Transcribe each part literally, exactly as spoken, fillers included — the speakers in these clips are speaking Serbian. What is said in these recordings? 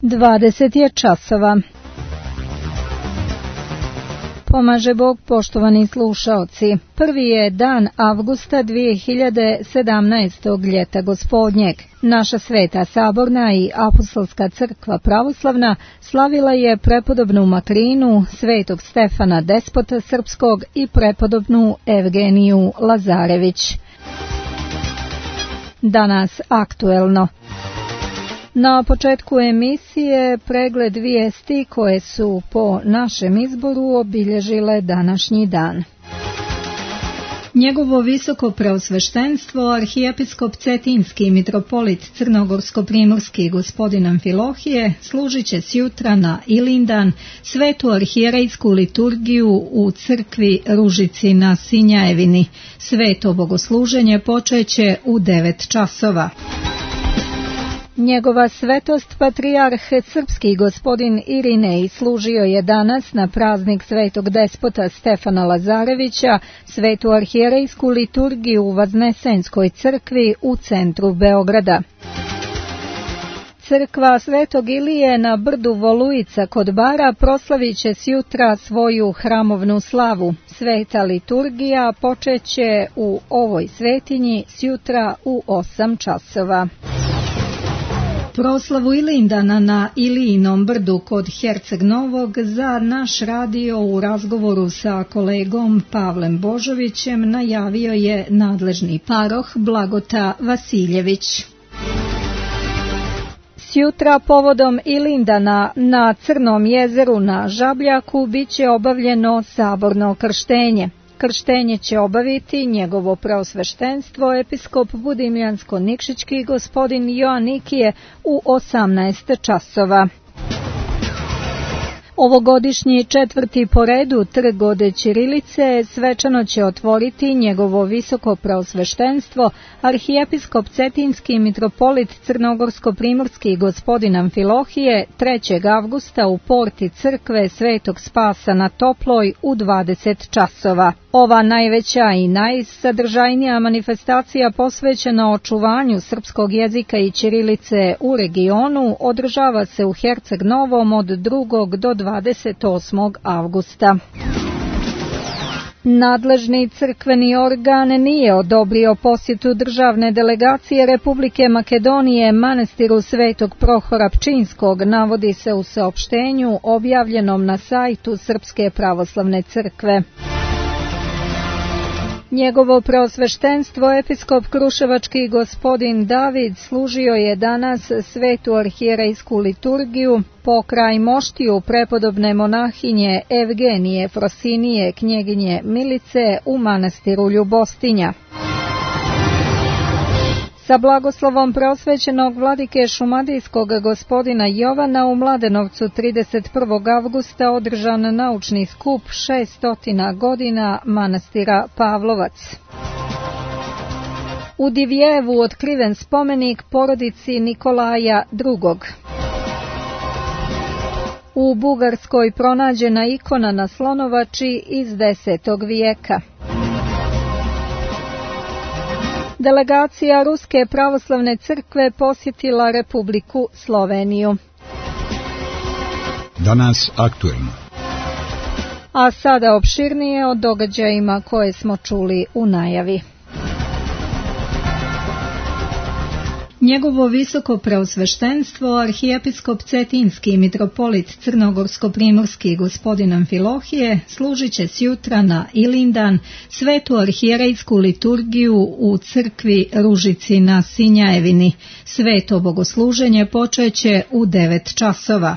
dvadeset je časova. Pomaže Bog, poštovani slušaoci. Prvi je dan avgusta dvije hiljade sedamnaestog ljeta gospodnjeg. Naša sveta saborna i apostolska crkva pravoslavna slavila je prepodobnu Makrinu, svetog Stefana Despota Srpskog i prepodobnu Evgeniju Lazarević. Danas aktuelno. Na početku emisije pregled vijesti koje su po našem izboru obilježile današnji dan. Njegovo visoko preosveštenstvo, arhijepiskop Cetinski mitropolit Crnogorsko-primorski gospodin Amfilohije, služit će sjutra na Ilindan svetu arhijerejsku liturgiju u crkvi Ružici na Sinjajevini. Sveto bogosluženje počeće u devet časova. Njegova svetost patrijarh srpski gospodin Irinej služio je danas na praznik svetog despota Stefana Lazarevića svetu arhijerejsku liturgiju u Vaznesenskoj crkvi u centru Beograda. Crkva Svetog Ilije na brdu Volujica kod Bara proslavit će sjutra svoju hramovnu slavu. Sveta liturgija počeće u ovoj svetinji sjutra u osam časova. Proslavu Ilindana na Ilijinom brdu kod Herceg Novog za naš radio u razgovoru sa kolegom Pavlem Božovićem najavio je nadležni paroh Blagota Vasiljević. Sjutra povodom Ilindana na Crnom jezeru na Žabljaku biće obavljeno saborno krštenje. Krštenje će obaviti njegovo preosveštenstvo episkop Budimljansko-Nikšićki gospodin Joanikije u osamnaest časova. Ovogodišnji četvrti po redu trg od ćirilice svečano će otvoriti njegovo visoko preosveštenstvo arhijepiskop Cetinski mitropolit Crnogorsko-primorski gospodin Amfilohije trećeg avgusta u porti crkve Svetog Spasa na Toploj u dvadeset časova. Ova najveća i najsadržajnija manifestacija posvećena očuvanju srpskog jezika i ćirilice u regionu održava se u Herceg Novom od drugog do dvadeset osmog avgusta. Nadležni crkveni organ nije odobrio posjetu državne delegacije Republike Makedonije manastiru Svetog Prohora Pčinskog, navodi se u saopštenju objavljenom na sajtu Srpske pravoslavne crkve. Njegovo preosveštenstvo episkop Kruševački gospodin David služio je danas svetu arhijerejsku liturgiju pokraj moštiju prepodobne monahinje Evgenije Frosinije knjeginje Milice u manastiru Ljubostinja. Sa blagoslovom preosvećenog vladike šumadijskog gospodina Jovana u Mladenovcu trideset prvog avgusta održan naučni skup šeststotina godina manastira Pavlovac. U Divjevu otkriven spomenik porodici Nikolaja drugog. U Bugarskoj pronađena ikona na Slonovači iz desetog vijeka. Delegacija Ruske pravoslavne crkve posjetila Republiku Sloveniju. Danas aktuelno. A sada opširnije o događajima koje smo čuli u najavi. Njegovo visoko preosveštenstvo, arhijepiskop Cetinski mitropolit Crnogorsko-primorski gospodin Amfilohije služit će sjutra na Ilindan svetu arhijerejsku liturgiju u crkvi Ružici na Sinjajevini. Sveto bogosluženje počeće u devet časova.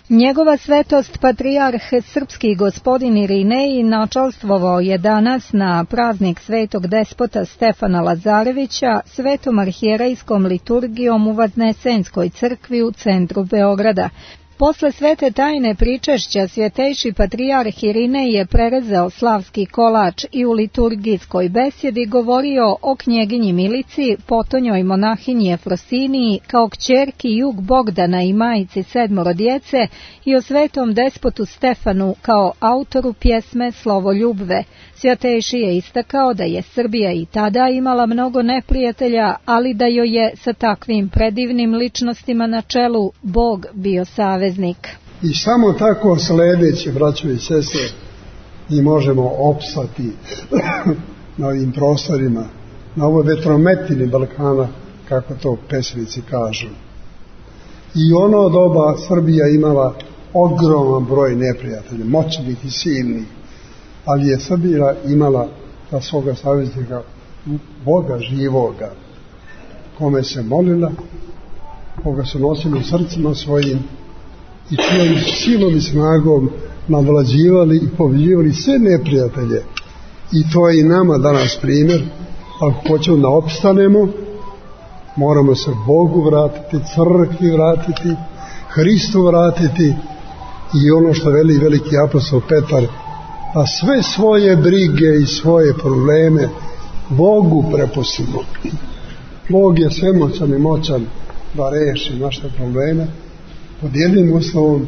Njegova svetost patrijarh srpski gospodin Irinej načalstvovao je danas na praznik svetog despota Stefana Lazarevića svetom arhijerejskom liturgijom u Vaznesenskoj crkvi u centru Beograda. Posle svete tajne pričešća svjetejši patrijarh Irinej je prerezao slavski kolač i u liturgijskoj besjedi govorio o knjeginji Milici, potonjoj monahinji Efrosiniji, kao kćerki Jug Bogdana i majici sedmoro djece, i o svetom despotu Stefanu kao autoru pjesme Slovoljubve. Svjetejši je istakao da je Srbija i tada imala mnogo neprijatelja, ali da joj je sa takvim predivnim ličnostima na čelu Bog bio saveznik. I samo tako sledeći, braćo i sestre, mi možemo opstati na ovim prostorima, na ovoj vetrometini Balkana, kako to pesnici kažu. I ono doba Srbija imala ogroman broj neprijatelja, moćnih i silnih, ali je Srbija imala za svoga saveznika Boga živoga, kome se molila, koga su nosili u srcima svojim i čijom silom i snagom nadvlađivali i pobjeđivali sve neprijatelje. I to je i nama danas primjer. Ako hoćemo da opstanemo, moramo se Bogu vratiti, crkvi vratiti, Hristu vratiti, i ono što veli veliki apostol Petar, a sve svoje brige i svoje probleme Bogu prepustimo. Bog je svemoćan i moćan da reši naše probleme pod jednim uslovom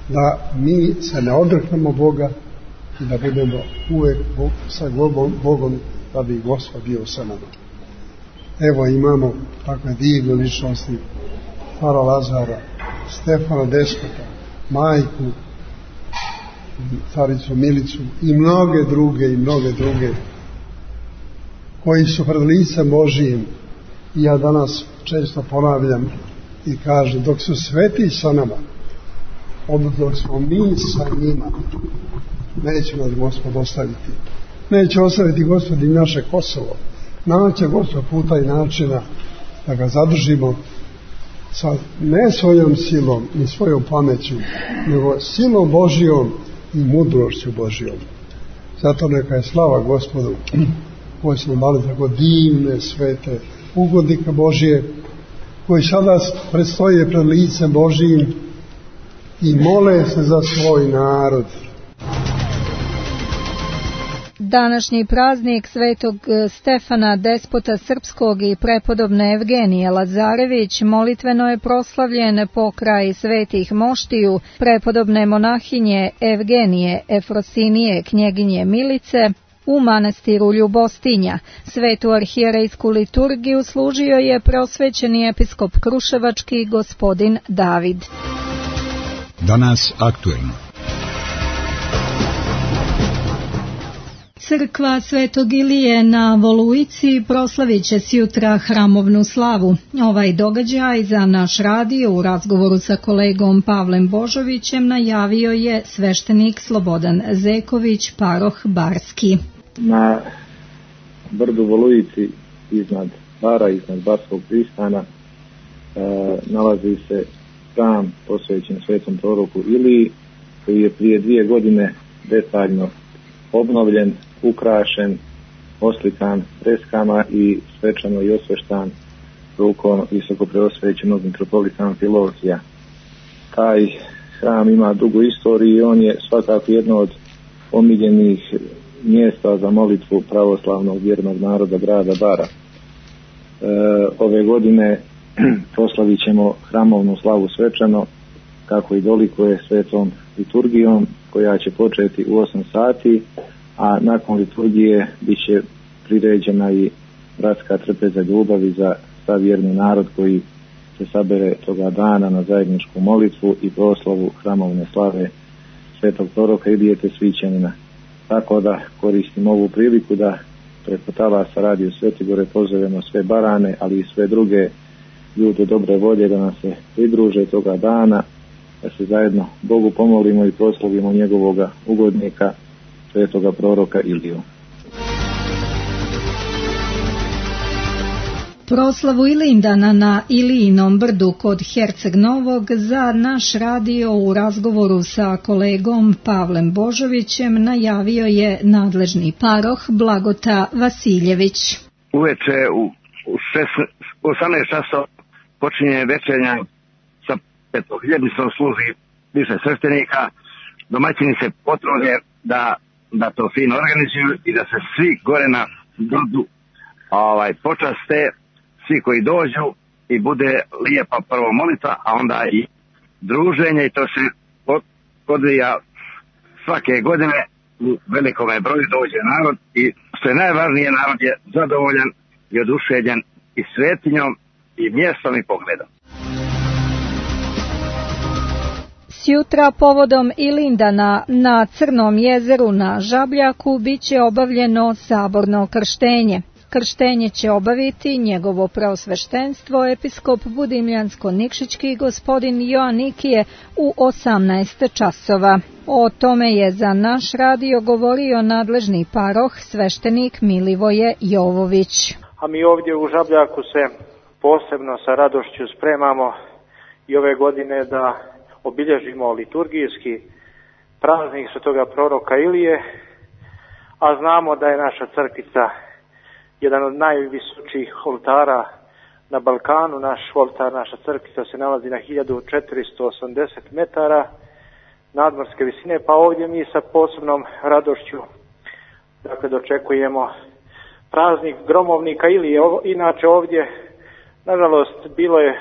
da mi se ne odreknemo Boga i da budemo uvek sa Bogom, da bi Gospod bio sa nama. Evo imamo takve divne ličnosti, Stara Lazara, Stefana Despota, majku, caricu Milicu i mnoge druge i mnoge druge koji su pred licem Božijim. I ja danas često ponavljam i kažem, dok su sveti sa nama, odnosno dok smo mi sa njima, neće nas Gospod ostaviti. Neće ostaviti Gospod i naše Kosovo. Naće Gospod puta i načina da ga zadržimo sa ne svojom silom ni svojom pameću, nego silom Božijom i mudrošću Božijom. Zato neka je slava Gospodu koji smo dali tako divne, svete ugodnika Božije, koji sada predstoje pred licem Božijim i mole se za svoj narod. Današnji praznik svetog Stefana, despota srpskog, i prepodobne Evgenije Lazarević molitveno je proslavljen pokraj svetih moštiju, prepodobne monahinje Evgenije Efrosinije, knjeginje Milice, u manastiru Ljubostinja. Svetu arhijerejsku liturgiju služio je preosvećeni episkop Kruševački gospodin David. Danas aktuelno. Crkva Svetog Ilije na Volujici proslavit će sjutra hramovnu slavu. Ovaj događaj za naš radio u razgovoru sa kolegom Pavlem Božovićem najavio je sveštenik Slobodan Zeković, paroh Barski. Na brdu Volujici iznad Bara, iznad Barskog pristana, e, nalazi se hram posvećen svetom proroku Iliji, koji je prije dvije godine detaljno obnovljen, ukrašen, oslikan freskama i svečano i osveštan rukom visoko preosvećenog mitropolita Amfilohija. Taj hram ima dugu istoriju i on je svakako jedno od omiljenih mjesta za molitvu pravoslavnog vjernog naroda grada Bara. E, ove godine proslavit ćemo hramovnu slavu svečano, kako i dolikuje svetom liturgijom, koja će početi u osam sati, a nakon liturgije bit će priređena i bratska trpeza ljubavi za sav vjerni narod koji se sabere toga dana na zajedničku molitvu i proslavu hramovne slave svetog proroka Ilije Svićanina. Tako da koristim ovu priliku da preko talasa Radio Svetigore pozovemo sve Barane, ali i sve druge ljude dobre volje da nam se pridruže toga dana, da se zajedno Bogu pomolimo i proslavimo njegovoga ugodnika, svetoga proroka Iliju. Proslavu Ilindana na Ilijinom brdu kod Herceg Novog za naš radio u razgovoru sa kolegom Pavlem Božovićem najavio je nadležni paroh Blagota Vasiljević. Uveče u osamnaest časova počinje večernja sa petohiljadicom služi više sveštenika. Domaćini se potrude da, da to fino organizuju i da se svi gore na brdu ovaj, počaste, svi koji dođu i bude lijepa prvo molitva, a onda i druženje i to se odvija svake godine u velikome broju dođe narod i što je najvažnije, narod je zadovoljan i oduševljen i svetinjom i mjestom i pogledom. Sjutra povodom Ilindana na Crnom jezeru na Žabljaku biće obavljeno saborno krštenje. Krštenje će obaviti njegovo preosveštenstvo episkop Budimljansko-Nikšićki gospodin Joanikije u osamnaest časova. O tome je za naš radio govorio nadležni paroh sveštenik Milivoje Jovović. A mi ovdje u Žabljaku se posebno sa radošću spremamo i ove godine da obilježimo liturgijski praznik svetoga proroka Ilije, a znamo da je naša crkvica jedan od najvisočijih oltara na Balkanu. Naš oltar, naša crkvica se nalazi na hiljadu četiristo osamdeset metara nadmorske visine, pa ovdje mi sa posebnom radošću dakle, dočekujemo praznik gromovnika Ilije. Inače ovdje, nažalost, bilo je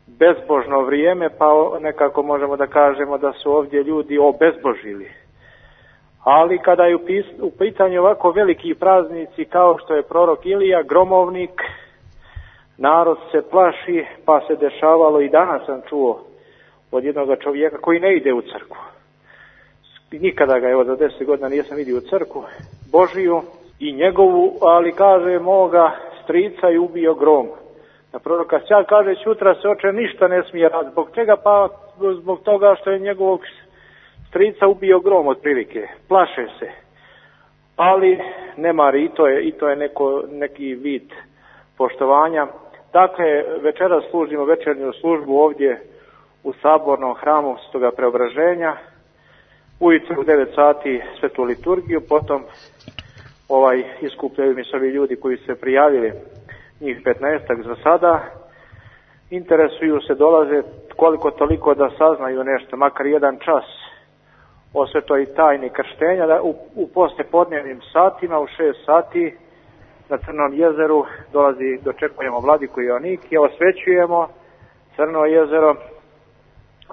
bezbožno vrijeme, pa nekako možemo da kažemo da su ovdje ljudi obezbožili. Ali kada je u pitanju ovako veliki praznici kao što je prorok Ilija, gromovnik, narod se plaši, pa se dešavalo i danas sam čuo od jednog čovjeka koji ne ide u crkvu. Nikada ga, evo, za deset godina nisam vidio u crkvu Božiju i njegovu, ali kaže moga strica je ubio grom. Na proroka Sja kaže, sutra se oče ništa ne smije raditi. Zbog čega? Pa zbog toga što je njegovog strica ubio grom otprilike. Plaše se. Ali ne mari, i to je, i to je neko, neki vid poštovanja. Dakle, večeras služimo večernju službu ovdje u sabornom hramu Svetoga Preobraženja. Ujutro u devet sati svetu liturgiju, potom ovaj iskupljaju mi se ovi ljudi koji se prijavili, njih petnaestak za sada, interesuju se, dolaze koliko toliko da saznaju nešto, makar jedan čas o svetoj tajni krštenja, da u, u poslijepodnevnim satima, u šest sati na Crnom jezeru dolazi, dočekujemo vladiku Joanikije, osvećujemo Crno jezero,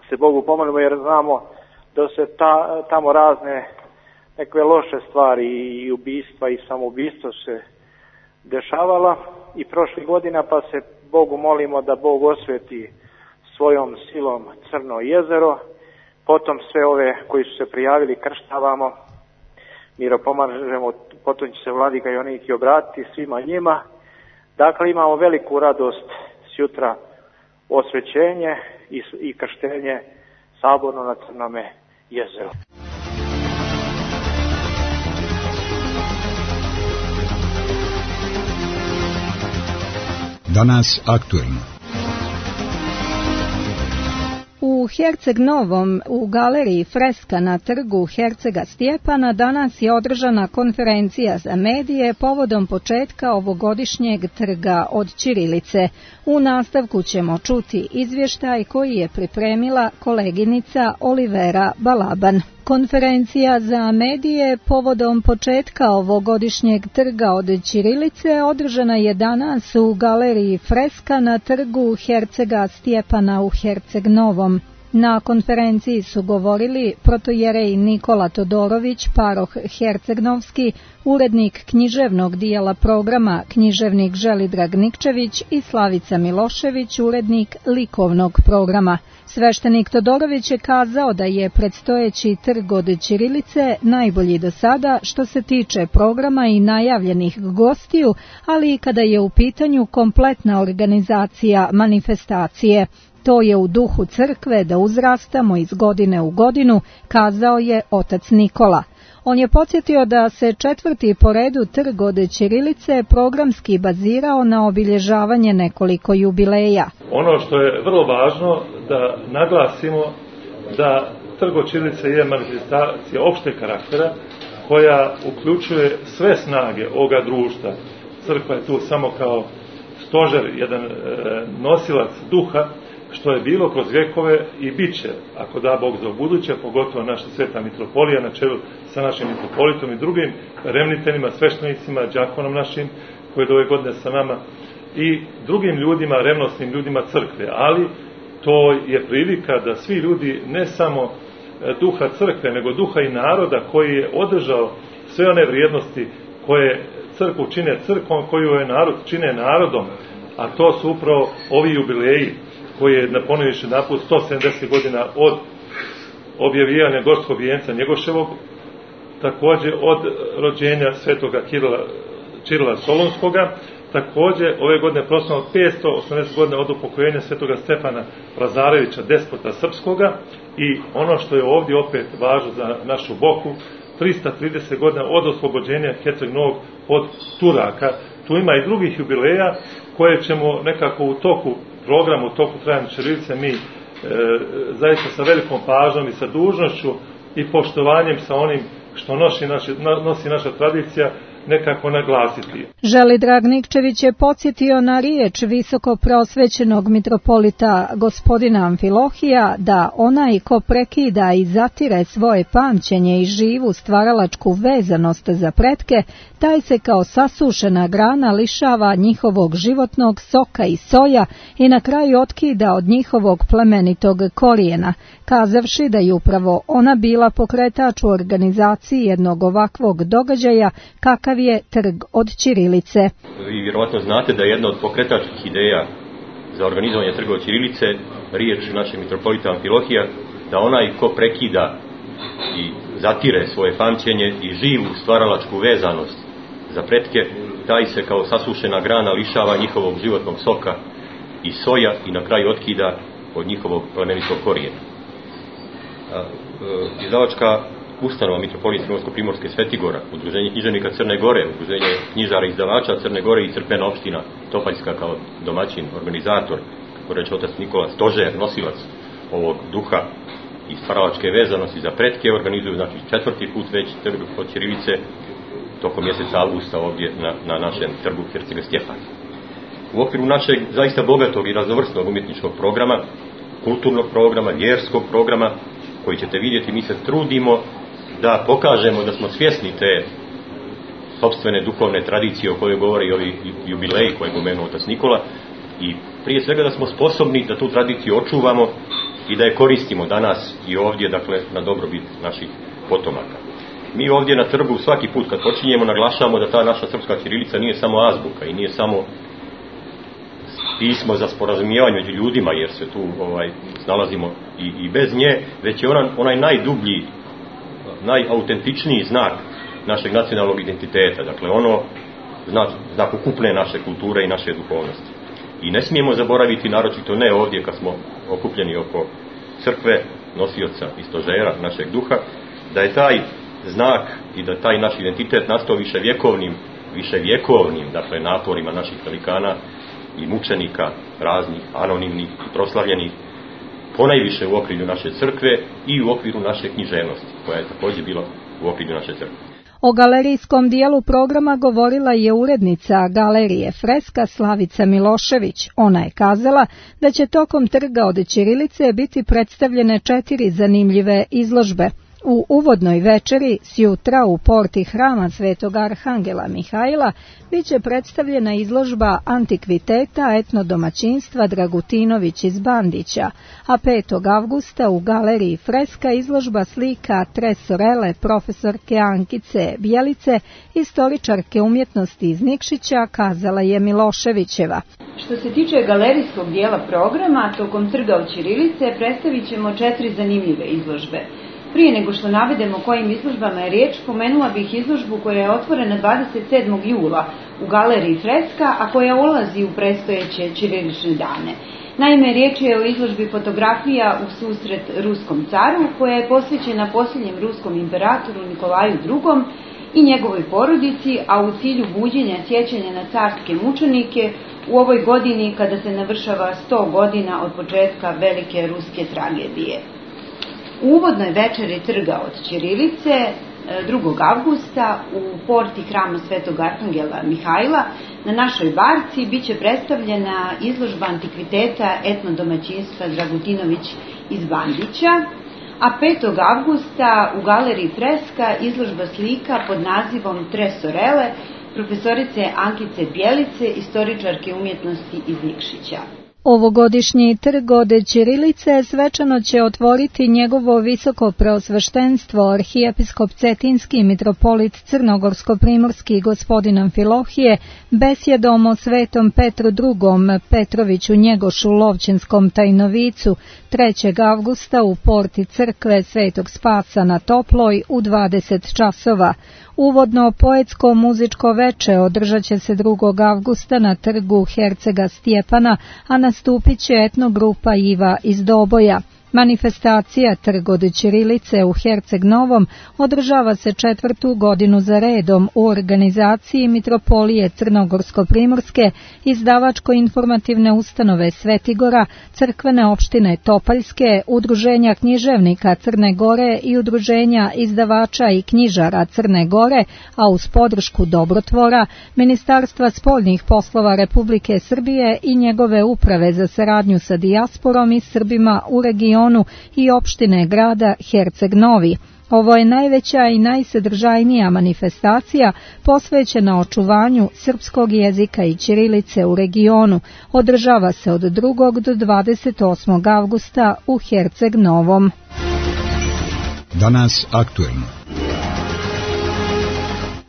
se Bogu pomolimo jer znamo da se ta, tamo razne neke loše stvari i ubistva i samoubistva se dešavala i prošlih godina, pa se Bogu molimo da Bog osveti svojom silom Crno jezero. Potom sve ove koji su se prijavili krštavamo, miropomažemo, potom će se vladika Joanikije obratiti svima njima. Dakle, imamo veliku radost sjutra, osvećenje i, i krštenje saborno na Crnome jezeru. Danas aktuelno. U Herceg Novom, u galeriji Freska na trgu Hercega Stjepana, danas je održana konferencija za medije povodom početka ovogodišnjeg trga od ćirilice. U nastavku ćemo čuti izvještaj koji je pripremila koleginica Olivera Balaban. Konferencija za medije povodom početka ovogodišnjeg trga od ćirilice održana je danas u galeriji Freska na trgu Hercega Stjepana u Herceg Novom. Na konferenciji su govorili protojerej Nikola Todorović, paroh Hercegnovski, urednik književnog dijela programa književnik Želidrag Nikčević i Slavica Milošević, urednik likovnog programa. Sveštenik Todorović je kazao da je predstojeći trg od ćirilice najbolji do sada što se tiče programa i najavljenih gostiju, ali i kada je u pitanju kompletna organizacija manifestacije. To je u duhu crkve da uzrastamo iz godine u godinu, kazao je otac Nikola. On je podsjetio da se četvrti po redu trg od ćirilice programski bazirao na obilježavanje nekoliko jubileja. Ono što je vrlo važno da naglasimo da trg od ćirilice je manifestacija opšteg karaktera koja uključuje sve snage ovoga društva. Crkva je tu samo kao stožer, jedan e, nosilac duha što je bilo kroz vjekove i bit će, ako da Bog za buduće, pogotovo naša sveta mitropolija na čelu sa našim mitropolitom i drugim remniteljima, sveštenicima, đakonom našim koji je ove godine sa nama i drugim ljudima, revnosnim ljudima crkve, ali to je prilika da svi ljudi, ne samo duha crkve, nego duha i naroda koji je održao sve one vrijednosti koje crkvu čine crkvom, koju je narod čine narodom, a to su upravo ovi jubileji koji je napomenuši naput sto sedamdeset godina od objavljivanja gorskog vijenca Njegoševog, također od rođenja svetoga Kirila, Čirila Solunskoga, također ove godine proslavljamo petsto osamdeset godina od upokojenja svetoga Stefana Lazarevića, despota srpskoga, i ono što je ovdje opet važno za našu Boku, trista trideset godina od oslobođenja Herceg Novog od Turaka. Tu ima i drugih jubileja koje ćemo nekako u toku programu, u toku trajanja ćirilice mi e, zaista sa velikom pažnjom i sa dužnošću i poštovanjem sa onim što nosi, naši, nosi naša tradicija nekako naglasiti. Želidrag Nikčević je podsjetio na riječ visoko prosvećenog mitropolita gospodina Amfilohija da onaj ko prekida i zatire svoje pamćenje i živu stvaralačku vezanost za pretke, taj se kao sasušena grana lišava njihovog životnog soka i soja i na kraju otkida od njihovog plemenitog korijena, kazavši da je upravo ona bila pokretač u organizaciji jednog ovakvog događaja kakav je trg od ćirilice. Vi vjerovatno znate da je jedna od pokretačkih ideja za organizovanje trga od ćirilice riječ našeg mitropolita Amfilohija da onaj ko prekida i zatire svoje pamćenje i živu stvaralačku vezanost za pretke, taj se kao sasušena grana lišava njihovog životnog soka i soja i na kraju otkida od njihovog plemenitog korijena. Izdavačka ustanova Mitropolije Crnogorsko-Primorske Svetigora, Udruženje književnika Crne Gore, Udruženje knjižara i izdavača Crne Gore i crkvena opština Topaljska kao domaćin, organizator, kako reče otac Nikola, stožer, nosilac ovog duha i stvaralačke vezanosti za pretke, organizuju znači četvrti put već trg od ćirilice tokom mjeseca avgusta ovdje na, na našem trgu Hercega Stjepana. U okviru našeg zaista bogatog i raznovrsnog umjetničkog programa, kulturnog programa, vjerskog programa, koji ćete vidjeti, mi se trudimo da pokažemo da smo svjesni te sopstvene duhovne tradicije o kojoj govore i ovi jubileji koje je pomenuo otac Nikola, i prije svega da smo sposobni da tu tradiciju očuvamo i da je koristimo danas i ovdje, dakle, na dobrobit naših potomaka. Mi ovdje na trgu svaki put kad počinjemo naglašavamo da ta naša srpska ćirilica nije samo azbuka i nije samo pismo za sporazumijevanje među ljudima, jer se tu ovaj, snalazimo i, i bez nje, već je ona, onaj najdublji, najautentičniji znak našeg nacionalnog identiteta, dakle ono znak, znak ukupne naše kulture i naše duhovnosti. I ne smijemo zaboraviti, naročito ne ovdje kad smo okupljeni oko crkve, nosioca i stožera našeg duha, da je taj znak i da taj naš identitet nastao viševjekovnim, viševjekovnim, dakle naporima naših velikana i mučenika raznih, anonimnih i proslavljenih, ponajviše u okrilju naše crkve i u okviru naše književnosti, koja je također bila u okrilju naše crkve. O galerijskom dijelu programa govorila je urednica galerije Freska Slavica Milošević. Ona je kazala da će tokom trga od ćirilice biti predstavljene četiri zanimljive izložbe. U uvodnoj večeri sjutra u porti hrama Svetog Arhangela Mihajla bit će predstavljena izložba antikviteta etnodomaćinstva Dragutinović iz Bandića, a petog avgusta u galeriji Freska izložba slika tresorele profesorke Ankice Bjelice, istoričarke umjetnosti iz Nikšića, kazala je Miloševićeva. Što se tiče galerijskog dijela programa, tokom trga od ćirilice predstavit ćemo četiri zanimljive izložbe. Prije nego što navedemo kojim izložbama je riječ, pomenula bih izložbu koja je otvorena dvadeset sedmog jula u galeriji Freska, a koja ulazi u predstojeće ćirilične dane. Naime, riječ je o izložbi fotografija u susret ruskom caru, koja je posvećena posljednjem ruskom imperatoru Nikolaju drugom i njegovoj porodici, a u cilju buđenja sjećanja na carske mučenike u ovoj godini kada se navršava sto godina od početka velike ruske tragedije. U uvodnoj večeri trga od ćirilice drugog avgusta u porti hrama Svetog Arhangela Mihajla na našoj barci biće predstavljena izložba antikviteta etnodomaćinstva Dragutinović iz Bandića, a petog avgusta u galeriji Freska izložba slika pod nazivom Tresorele profesorice Ankice Bjelice, istoričarke umjetnosti iz Nikšića. Ovogodišnji trg od ćirilice svečano će otvoriti njegovo visoko preosveštenstvo arhijepiskop Cetinski mitropolit Crnogorsko-primorski gospodin Amfilohije besjedom o svetom Petru drugom Petroviću Njegošu Lovćenskom Tajnovicu trećeg avgusta u porti crkve Svetog Spasa na Toploj u dvadeset časova. Uvodno poetsko muzičko veče održat će se drugog avgusta na trgu Hercega Stjepana, a nastupit će etnogrupa Iva iz Doboja. Manifestacija Trg od ćirilice u Herceg Novom održava se četvrtu godinu za redom u organizaciji Mitropolije Crnogorsko-primorske, izdavačko-informativne ustanove Svetigora, crkvene opštine Topaljske, Udruženja književnika Crne Gore i Udruženja izdavača i knjižara Crne Gore, a uz podršku Dobrotvora, Ministarstva spoljnih poslova Republike Srbije i njegove uprave za saradnju sa dijasporom i Srbima u regionu i opštine grada Herceg Novi. Ovo je najveća i najsadržajnija manifestacija posvećena očuvanju srpskog jezika i ćirilice u regionu. Održava se od drugog do dvadeset osmog avgusta u Herceg Novom. Danas aktuelno.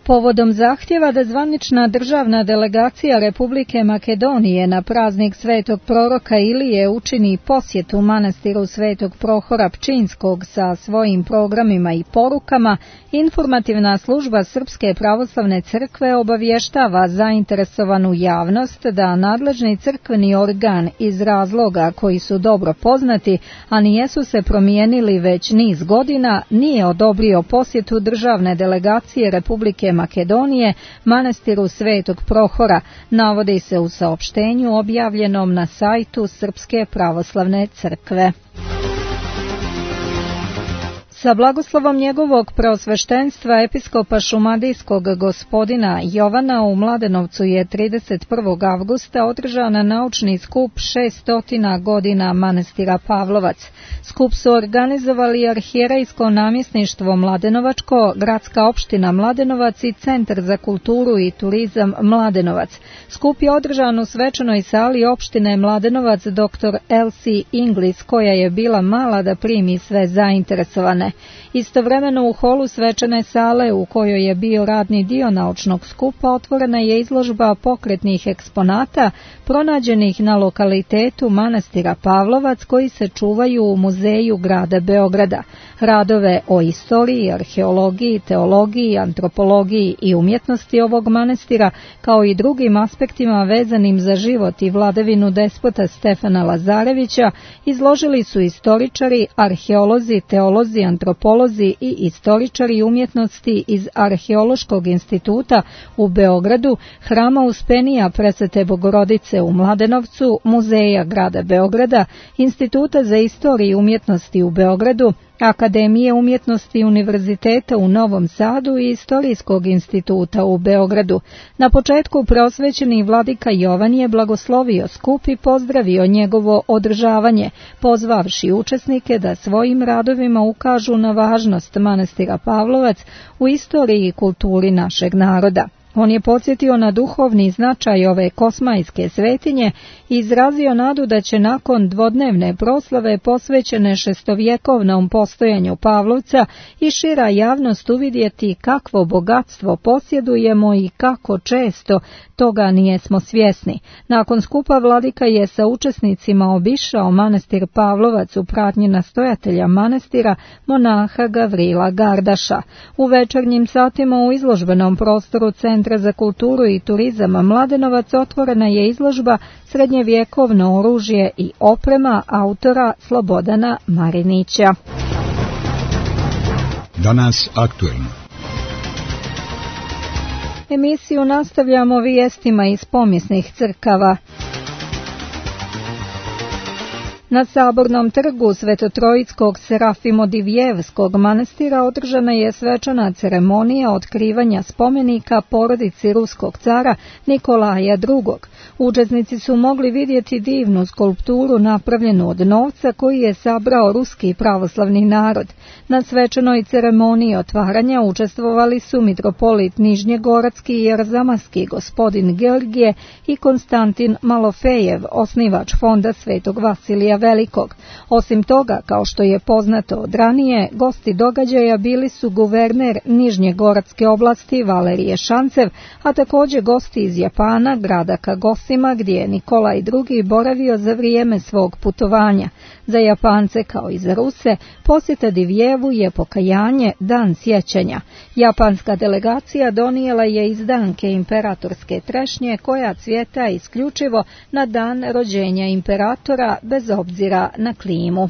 Povodom zahtjeva da zvanična državna delegacija Republike Makedonije na praznik Svetog proroka Ilije učini posjetu manastiru Svetog Prohora Pčinskog sa svojim programima i porukama, informativna služba Srpske pravoslavne crkve obavještava zainteresovanu javnost da nadležni crkveni organ iz razloga koji su dobro poznati, a nijesu se promijenili već niz godina, nije odobrio posjetu državne delegacije Republike Makedonije manastiru Svetog Prohora, navodi se u saopštenju objavljenom na sajtu Srpske pravoslavne crkve. Sa blagoslovom njegovog preosveštenstva episkopa šumadijskog gospodina Jovana u Mladenovcu je trideset prvog avgusta održan naučni skup šeststotina godina manastira Pavlovac. Skup su organizovali arhijerejsko namjesništvo Mladenovačko, gradska opština Mladenovac i Centar za kulturu i turizam Mladenovac. Skup je održan u svečanoj sali opštine Mladenovac dr Elsie Inglis, koja je bila mala da primi sve zainteresovane. Istovremeno u holu svečane sale u kojoj je bio radni dio naučnog skupa otvorena je izložba pokretnih eksponata pronađenih na lokalitetu manastira Pavlovac koji se čuvaju u muzeju grada Beograda. Radove o istoriji, arheologiji, teologiji, antropologiji i umjetnosti ovog manastira, kao i drugim aspektima vezanim za život i vladavinu despota Stefana Lazarevića, izložili su istoričari, arheolozi, teolozi, antropolozi i istoričari umjetnosti iz Arheološkog instituta u Beogradu, Hrama Uspenija Presvete Bogorodice u Mladenovcu, Muzeja grada Beograda, Instituta za istoriju umjetnosti u Beogradu, Akademije umjetnosti Univerziteta u Novom Sadu i Istorijskog instituta u Beogradu. Na početku prosvećeni vladika Jovan je blagoslovio skup i pozdravio njegovo održavanje, pozvavši učesnike da svojim radovima ukažu na važnost manastira Pavlovac u istoriji i kulturi našeg naroda. On je podsjetio na duhovni značaj ove kosmajske svetinje i izrazio nadu da će nakon dvodnevne proslave posvećene šestovjekovnom postojanju Pavlovca i šira javnost uvidjeti kakvo bogatstvo posjedujemo i kako često toga nijesmo svjesni. Nakon skupa vladika je sa učesnicima obišao manastir Pavlovac u pratnji nastojatelja manastira monaha Gavrila Gardaša. U večernjim satima u izložbenom prostoru Centra za kulturu i turizam Mladenovac otvorena je izložba Srednjevjekovno oružje i oprema autora Slobodana Marinića. Danas aktuelno. Emisiju nastavljamo vijestima iz pomisnih crkava. Na Sabornom trgu Svetotrojickog Serafimodivjevskog manastira održana je svečana ceremonija otkrivanja spomenika porodici ruskog cara Nikolaja drugog. Učesnici su mogli vidjeti divnu skulpturu napravljenu od novca koji je sabrao ruski pravoslavni narod. Na svečanoj ceremoniji otvaranja učestvovali su mitropolit Nižnjegoratski i Arzamatski gospodin Georgije i Konstantin Malofejev, osnivač fonda Svetog Vasilija Velikog. Osim toga, kao što je poznato od ranije, gosti događaja bili su guverner Nižnjegoratske oblasti Valerije Šancev, a također gosti iz Japana, grada Kagosima, gdje je Nikolaj drugi boravio za vrijeme svog putovanja. Za Japance kao i za Ruse, posjeta Divjevu je pokajanje, dan sjećanja. Japanska delegacija donijela je izdanke imperatorske trešnje koja cvjeta isključivo na dan rođenja imperatora bez obzira na klimu.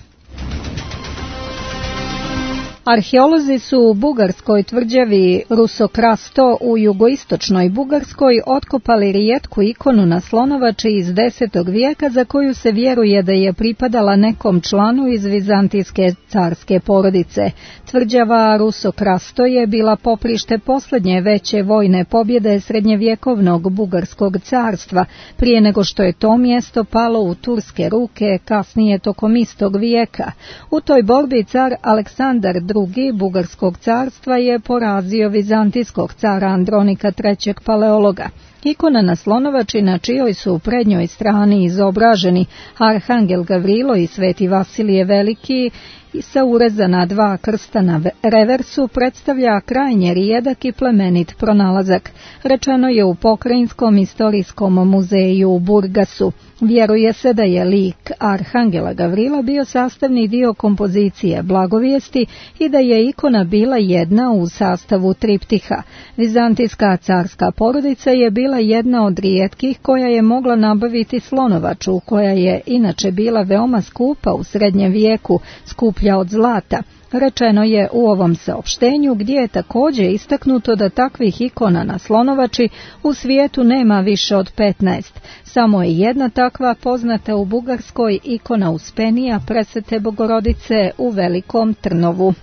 Arheolozi su u bugarskoj tvrđavi Rusokrasto u jugoistočnoj Bugarskoj otkopali rijetku ikonu na slonovači iz desetog vijeka za koju se vjeruje da je pripadala nekom članu iz vizantijske carske porodice. Tvrđava Rusokrasto je bila poprište posljednje veće vojne pobjede srednjevjekovnog bugarskog carstva, prije nego što je to mjesto palo u turske ruke kasnije tokom istog vijeka. U toj borbi car Aleksandar drugi bugarskog carstva je porazio vizantijskog cara Andronika trećeg paleologa. Ikona na slonovači na čijoj su u prednjoj strani izobraženi Arhangel Gavrilo i Sveti Vasilije Veliki i sa urezana dva krsta na reversu predstavlja krajnje rijedak i plemenit pronalazak. Rečeno je u Pokrajinskom istorijskom muzeju u Burgasu. Vjeruje se da je lik Arhangela Gavrila bio sastavni dio kompozicije Blagovijesti i da je ikona bila jedna u sastavu triptiha. Vizantijska carska porodica je bila jedna od rijetkih koja je mogla nabaviti slonovaču, koja je inače bila veoma skupa u srednjem vijeku, skuplja od zlata. Rečeno je u ovom saopštenju, gdje je također istaknuto da takvih ikona na slonovači u svijetu nema više od petnaest. Samo je jedna takva poznata u Bugarskoj, ikona Uspenija Presvete Bogorodice u Velikom Trnovu.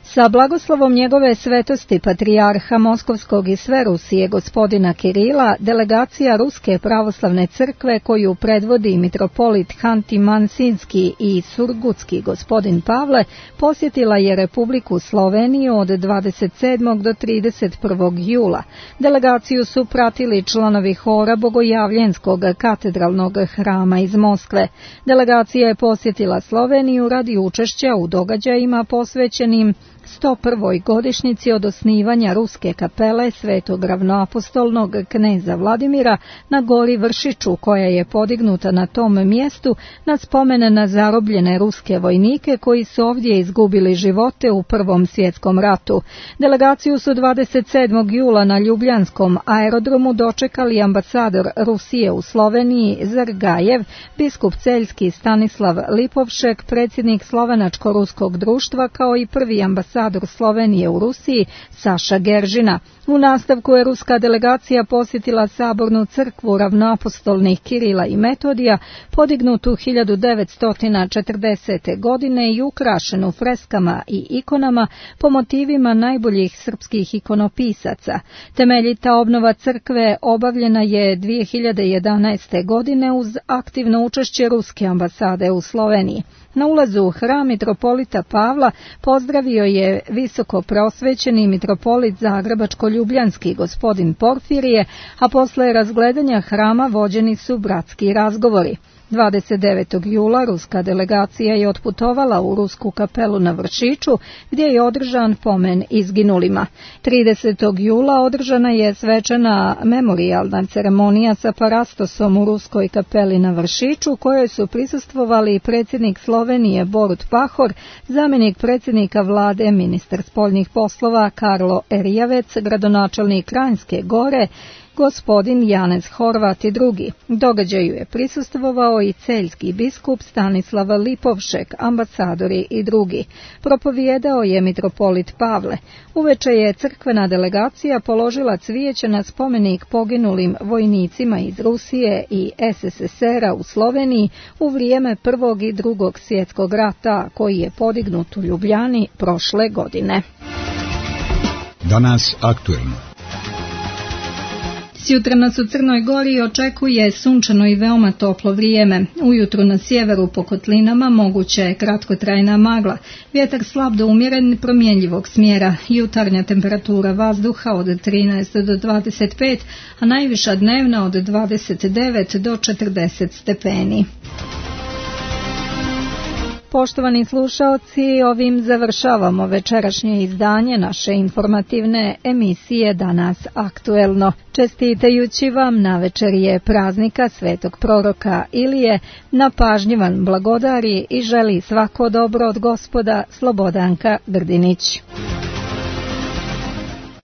Sa blagoslovom njegove svetosti patrijarha Moskovskog i sve Rusije gospodina Kirila, delegacija Ruske pravoslavne crkve koju predvodi mitropolit Hanti-Mansinski i Surgutski gospodin Pavle posjetila je Republiku Sloveniju od dvadeset sedmog do trideset prvog jula. Delegaciju su pratili članovi hora Bogojavljenskog katedralnog hrama iz Moskve. Delegacija je posjetila Sloveniju radi učešća u događajima posvećenim sto prvoj godišnjici od osnivanja Ruske kapele Svetog ravnoapostolnog kneza Vladimira na gori Vršiću, koja je podignuta na tom mjestu na spomen na zarobljene ruske vojnike koji su ovdje izgubili živote u Prvom svjetskom ratu. Delegaciju su dvadeset sedmog jula na Ljubljanskom aerodromu dočekali ambasador Rusije u Sloveniji Zargajev, biskup Celjski Stanislav Lipovšek, predsjednik Slovenačko-ruskog društva, kao i prvi ambasador Slovenije u Rusiji Saša Geržina. U nastavku je ruska delegacija posjetila Sabornu crkvu ravnoapostolnih Kirila i Metodija, podignutu hiljadu devetsto četrdesete. godine i ukrašenu freskama i ikonama po motivima najboljih srpskih ikonopisaca. Temeljita obnova crkve obavljena je dvije hiljade jedanaeste. godine uz aktivno učešće ruske ambasade u Sloveniji. Na ulazu u hram mitropolita Pavla pozdravio je visoko prosvećeni mitropolit Zagrebačko-Ljubljanski gospodin Porfirije, a posle razgledanja hrama vođeni su bratski razgovori. dvadeset devetog jula ruska delegacija je otputovala u Rusku kapelu na Vršiću, gdje je održan pomen izginulima. tridesetog jula održana je svečana memorijalna ceremonija sa parastosom u Ruskoj kapeli na Vršiću, kojoj su prisustvovali predsjednik Slovenije Borut Pahor, zamjenik predsjednika vlade, ministar spoljnih poslova Karlo Erjavec, gradonačelnik Kranjske Gore, gospodin Janez Horvat i drugi. Događaju je prisustvovao i celjski biskup Stanislav Lipovšek, ambasadori i drugi. Propovijedao je mitropolit Pavle. Uveče je crkvena delegacija položila cvijeće na spomenik poginulim vojnicima iz Rusije i S S S R-a u Sloveniji u vrijeme Prvog i Drugog svjetskog rata, koji je podignut u Ljubljani prošle godine. Danas aktuelno. Sjutra nas u Crnoj Gori očekuje sunčano i veoma toplo vrijeme. Ujutru na sjeveru po kotlinama moguća je kratkotrajna magla. Vjetar slab do umjeren promjenjivog smjera. Jutarnja temperatura vazduha od trinaest do dvadeset pet, a najviša dnevna od dvadeset devet do četrdeset stepeni. Poštovani slušaoci, ovim završavamo večerašnje izdanje naše informativne emisije Danas aktuelno. Čestitajući vam na večerije praznika Svetog proroka Ilije, na pažnji vam blagodari i želi svako dobro od Gospoda Slobodanka Grdinić.